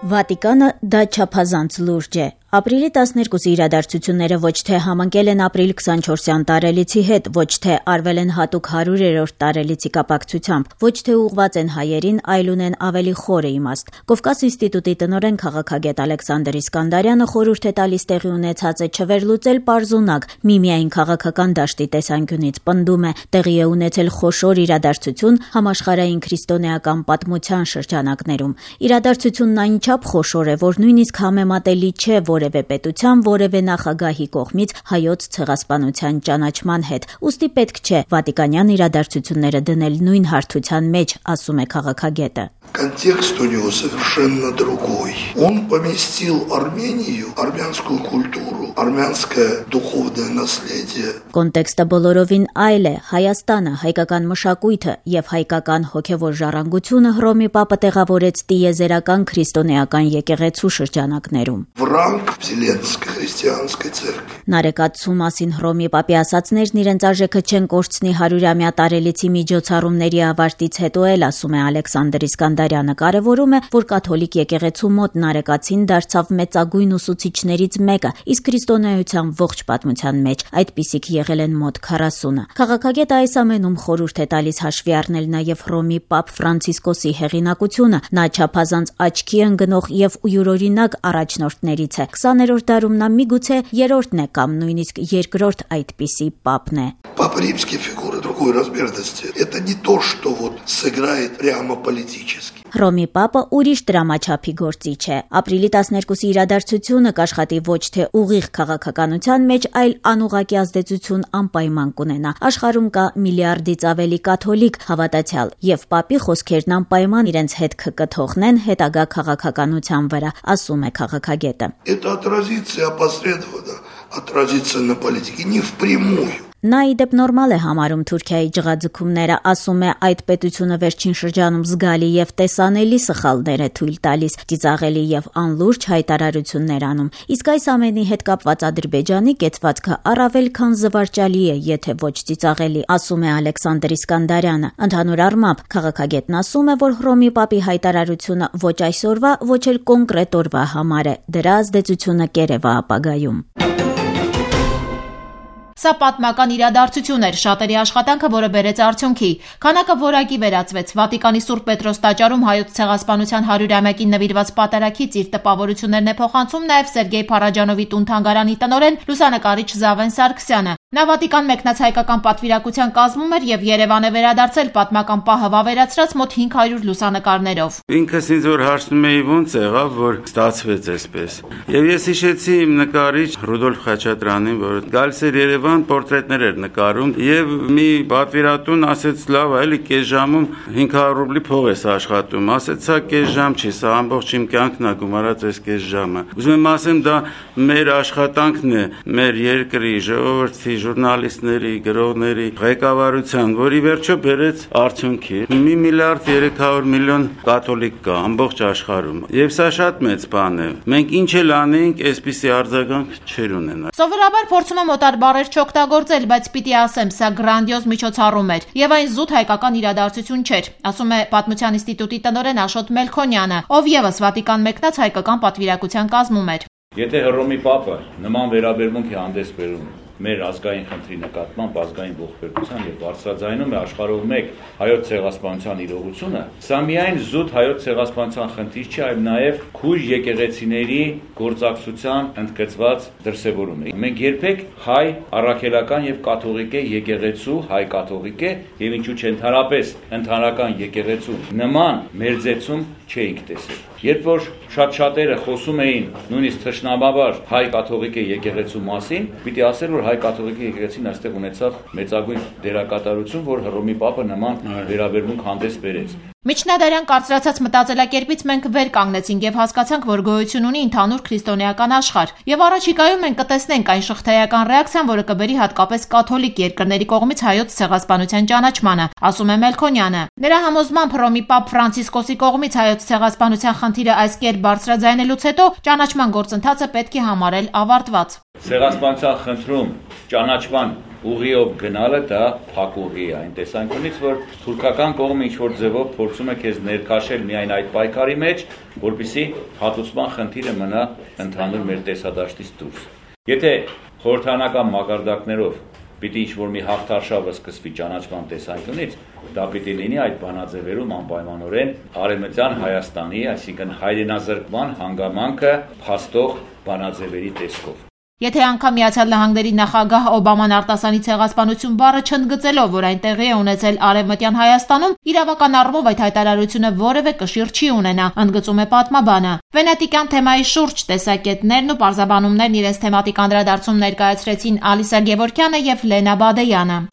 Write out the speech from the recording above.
Վատիկանը դա չափազանց լուրջ է։ Ապրիլի 12-ի իրադարձությունները ոչ թե համընկել են ապրիլ 24-յան տարելիցի հետ, ոչ թե արվել են հատուկ 100-րդ տարելիցի կապակցությամբ, ոչ թե ուղղված են հայերին, այլ ունեն ավելի խորը իմաստ։ Կովկաս ինստիտուտի տնօրեն քաղաքագետ Ալեքսանդր Իսկանդարյանը խորհուրդ է տալիս տեղի ունեցածը չվերլուծել պարզունակ, միմիայն քաղաքական դաշտի տեսանկյունից պնդում է, տեղի է ունեցել խոշոր իրադարձություն համաշխարհային քրիստոնեական պատմության շրջանակներում։ Իրադարձությունն այնչափ խոշոր է, որ նույնիսկ համեմատելի չէ որևէ պետության, որևէ նախագահի կողմից հայոց ցեղասպանության ճանաչման հետ։ Ուստի պետք չէ վատիկանյան իրադարձությունները դնել նույն հարթության մեջ, ասում է քաղաքագետը։ Контекст у него совершенно другой. Он поместил Армению, армянскую культуру, армянское духовное наследие. Կոնտեքստը բոլորովին այլ է։ Հայաստանը, հայկական մշակույթը եւ հայկական հոգեվոր ժառանգությունը Հռոմի Պապը տեղավորեց տիեզերական քրիստոնեական եկեղեցու շրջանակներում։ В ранг Вселенской христианской церкви. Նարեկացու մասին Հռոմի Պապի ասացներն իրենց արժեքը չեն կորցնի 100-ամյա տարելիցի միջոցառումների ավարտից հետո էլ, ասում է Ալեքսանդր Իսկանդարյանը, կարևորում է, որ կաթոլիկ եկեղեցու մոտ նարեկացին դարձավ մեծագույն ուսուցիչներից մեկը, իսկ քրիստոնեության ողջ պատմության մեջ այդպիսիք եղել են մոտ 40-ը։ Քաղաքագետը այս ամենում խորհուրդ է տալիս հաշվի առնել նաև Հռոմի Պապ Ֆրանցիսկոսի հեղինակությունը։ Նա չափազանց աչքի ընկնող եւ յուրօրինակ առաջնորդներից է։ 20-րդ դարում նա միգուցե երրորդն է կամ նույնիսկ երկրորդ այդպիսի Պապն է։ Папа Римский фигура другой размерности. Это не то, что вот сыграет прямо политически. Հռոմի Պապը ուրիշ դրամաչափի գործիչ է։ Ապրիլի 12-ի իրադարձությունը կաշխատի ոչ թե ուղիղ քաղաքականության մեջ, այլ անուղղակի ազդեցություն անպայման կունենա։ Աշխարհում կա միլիարդից ավելի կաթոլիկ հավատացյալ, եւ Պապի խոսքերն անպայման իրենց հետքը կթողնեն հետագա քաղաքականության վրա, ասում է քաղաքագետը։ Это отразится опосредованно, отразится на политике, не впрямую. Նա իդեպ նորմալ է համարում Թուրքիայի ջղաձգումները, ասում է այդ պետությունը վերջին շրջանում զգալի եւ տեսանելի սխալներ է թույլ տալիս, ծիծաղելի եւ անլուրջ հայտարարություններ անում։ Իսկ այս ամենի հետ կապված Ադրբեջանի կեցվածքը առավել քան զվարճալի է, եթե ոչ ծիծաղելի, ասում է Ալեքսանդր Իսկանդարյանը։ Ընդհանուր առմամբ քաղաքագետն ասում է, որ Հռոմի Պապի հայտարարությունը ոչ այսօրվա, ոչ էլ կոնկրետ օրվա համար է, դրա ազդեցությունը կերևա ապագայում։ Սա պատմական իրադարձություն էր, շատերի աշխատանքը, որը բերեց արդյունքի։ Քանակը որակի վերածվեց։ Վատիկանի Սուրբ Պետրոս տաճարում հայոց ցեղասպանության 100-ամյակին նվիրված պատարագից իր տպավորություններն է փոխանցում նաև Սերգեյ Փարաջանովի տուն-թանգարանի տնօրեն լուսանկարիչ Զավեն Սարգսյանը։ Նա Վատիկան մեկնած հայկական պատվիրակության կազմում էր եւ Երևան է վերադարձել պատմական պահը վավերացրած մոտ 500 լուսանկարներով։ Ինքս ինձ որ հարցնում էի ոնց եղավ, որ ստացվեց այսպես։ Եվ ես հիշեցի իմ նկարիչ Ռուդոլֆ Խաչատրյանին, որ գալիս էր Երևան, պորտրետներ էր նկարում եւ մի պատվիրատուն ասեց լավ, այլի կես ժամում 500 ռուբլի փող ես աշխատում։ Ասեցա կես ժամ չի, սա ամբողջ իմ կյանքն է գումարած այս կես ժամը։ Ուզում եմ ասեմ դա մեր աշխատանքն է, մեր երկրի ժողովրդի ժուրնալիստների, գրողների ղեկավարության, որի վերջո բերեց արդյունքի։ 1 միլիարդ 300 միլիոն կաթոլիկ կա ամբողջ աշխարհում։ Եվ սա շատ մեծ բան է։ Մենք ինչ էլ անենք, այսպիսի արձագանք չեր ունենա։ Սովորաբար փորձում եմ օտար բառեր չօգտագործել, բայց պիտի ասեմ, սա գրանդիոզ միջոցառում էր եւ այն զուտ հայկական իրադարձություն չէր, ասում է Պատմության ինստիտուտի տնօրեն Աշոտ Մելքոնյանը, ով եւս Վատիկան մեկնած հայկական պատվիրակության կազմում էր։ Եթե Հռոմի Պապը նման վերաբերմունք է հանդես բերում մեր ազգային խնդրի նկատմամբ, ազգային ողբերգության եւ բարձրաձայնում է աշխարհով մեկ հայոց ցեղասպանության իրողությունը, սա միայն զուտ հայոց ցեղասպանության խնդիր չէ, այլ նաեւ քույր եկեղեցիների գործակցության ընդգծված դրսևորում է։ Մենք երբեք հայ առաքելական եւ կաթողիկե եկեղեցու, հայ կաթողիկե եւ ինչու՞ չէ ընդհանրական եկեղեցու նման մերձեցում չէինք տեսել։ Երբ որ շատերը խոսում էին նույնիսկ թշնամաբար հայ կաթողիկե եկեղեցու մասին, պիտի ասել, որ հայ կաթողիկե եկեղեցին այստեղ ունեցավ մեծագույն դերակատարություն, որ Հռոմի Պապը նման վերաբերմունք հանդես բերեց։ Միջնադարյան կարծրացած մտածելակերպից մենք վեր կանգնեցինք եւ հասկացանք, որ գոյություն ունի ընդհանուր քրիստոնեական աշխարհ։ Եվ առաջիկայում մենք կտեսնենք այն շղթայական ռեակցիան, որը կբերի հատկապես կաթոլիկ երկրների կողմից հայոց ցեղասպանության ճանաչմանը, ասում է Մելքոնյանը։ Նրա համոզմամբ Հռոմի Պապ Ֆրանցիսկոսի կողմից հայոց ցեղասպանության խնդիրը այս կերպ բարձրաձայնելուց հետո ճանաչման գործընթացը պետք է համարել ավարտված։ Ցեղասպանության խնդրում ճանաչման ուղիով գնալը դա փակ ուղի է այն տեսանկյունից, որ թուրքական կողմը ինչ-որ ձևով փորձում է քեզ ներքաշել միայն այդ պայքարի մեջ, որպեսզի հատուցման խնդիրը մնա ընդհանուր մեր տեսադաշտից դուրս։ Եթե խորհրդարանական մակարդակներով պիտի ինչ-որ մի հաղթարշավը սկսվի ճանաչման տեսանկյունից, դա պիտի լինի այդ բանաձևերում անպայմանորեն Արևմտյան Հայաստանի, այսինքն հայրենազրկման հանգամանքը փաստող բանաձևերի տեսքով։ Եթե անգամ Միացյալ Նահանգների նախագահ Օբաման արտասանի ցեղասպանություն բառը չընդգծելով, որ այն տեղի է ունեցել Արևմտյան Հայաստանում, իրավական առումով այդ հայտարարությունը որևէ կշիռ չի ունենա, ընդգծում է պատմաբանը։ Վենետիկյան թեմայի շուրջ տեսակետներն ու պարզաբանումներն իրենց թեմատիկ անդրադարձում ներկայացրեցին Ալիսա Գևորգյանը եւ Լենա Բադեյանը։